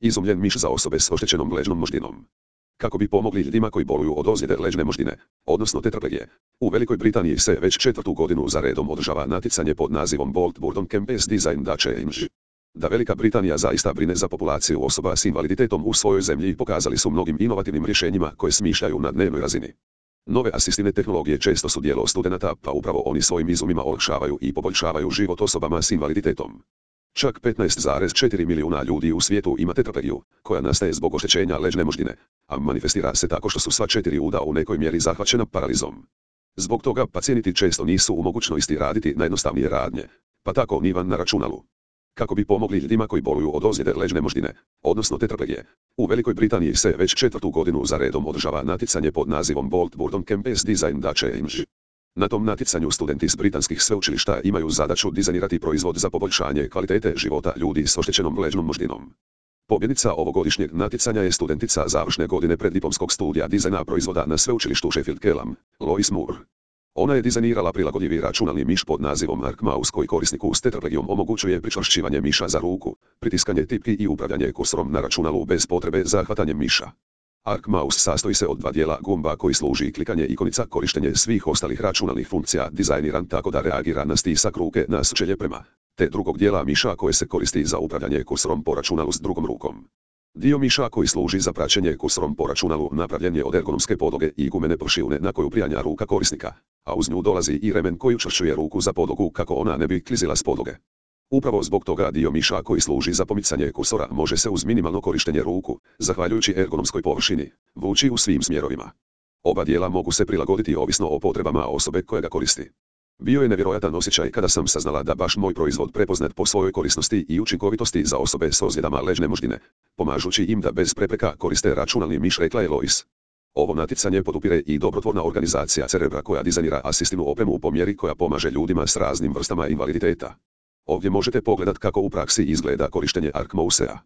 Izumljen miš za osobe s oštećenom ležnom moždinom. Kako bi pomogli ljudima koji boluju od ozljede ležne moždine, odnosno tetraplegije. U Velikoj Britaniji se već 4. godinu za redom održava natjecanje pod nazivom Bold Burton Campus Design the Change. Da Velika Britanija zaista brine za populaciju osoba s invaliditetom u svojoj zemlji pokazali su mnogim inovativnim rješenjima koje smišljaju na dnevnoj razini. Nove asistivne tehnologije često su djelo studenata, pa upravo oni svojim izumima olakšavaju i poboljšavaju život osobama s invaliditetom. Čak 15,4 milijuna ljudi u svijetu ima tetraplegiju, koja nastaje zbog oštećenja ležne moždine, a manifestira se tako što su sva 4 uda u nekoj mjeri zahvaćena paralizom. Zbog toga pacijenti često nisu u mogućnosti raditi najjednostavnije radnje, pa tako ni van na računalu. Kako bi pomogli ljudima koji boluju od ozljede ležne moždine, odnosno tetraplegije. U Velikoj Britaniji se već 4. godinu za redom održava natjecanje pod nazivom Bold Burton Campus Design the Change. Na tom natjecanju studenti s britanskih sveučilišta imaju zadaću dizajnirati proizvod za poboljšanje kvalitete života ljudi s oštećenom ležnom moždinom. Pobjednica ovogodišnjeg natjecanja je studentica završne godine preddiplomskog studija dizajna proizvoda na sveučilištu Sheffield Hallam, Lois Moore. Ona je dizajnirala prilagodljivi računalni miš pod nazivom Arc Mouse koji korisniku s tetraplegijom omogućuje pričvršćivanje miša za ruku, pritiskanje tipki i upravljanje kursorom na računalu bez potrebe za hvatanjem miša. Arc Mouse sastoji se od 2 dijela gumba koji služi klikanje ikonica, korištenje svih ostalih računalnih funkcija dizajniran tako da reagira na stisak ruke na sučelje prema, te drugog dijela miša koje se koristi za upravljanje kursorom po računalu s drugom rukom. Dio miša koji služi za praćenje kursorom po računalu napravljen je od ergonomske podloge i gumene pršivne na koju prijanja ruka korisnika, a uz nju dolazi i remen koji učvršćuje ruku za podlogu kako ona ne bi klizila s podloge. Upravo zbog toga dio miša koji služi za pomicanje kursora može se uz minimalno korištenje ruku, zahvaljujući ergonomskoj površini, vući u svim smjerovima. Oba dijela mogu se prilagoditi ovisno o potrebama osobe koja ga koristi. Bio je nevjerojatan osjećaj kada sam saznala da baš moj proizvod prepoznat po svojoj korisnosti i učinkovitosti za osobe s ozljedama ležne moždine, pomažući im da bez prepreka koriste računalni miš, rekla je Lois. Ovo natjecanje podupire i dobrotvorna organizacija Cerebra koja dizajnira asistivnu opremu po mjeri koja pomaže ljudima s raznim vrstama invaliditeta. Ovdje možete pogledat kako u praksi izgleda korištenje Arc Mousea.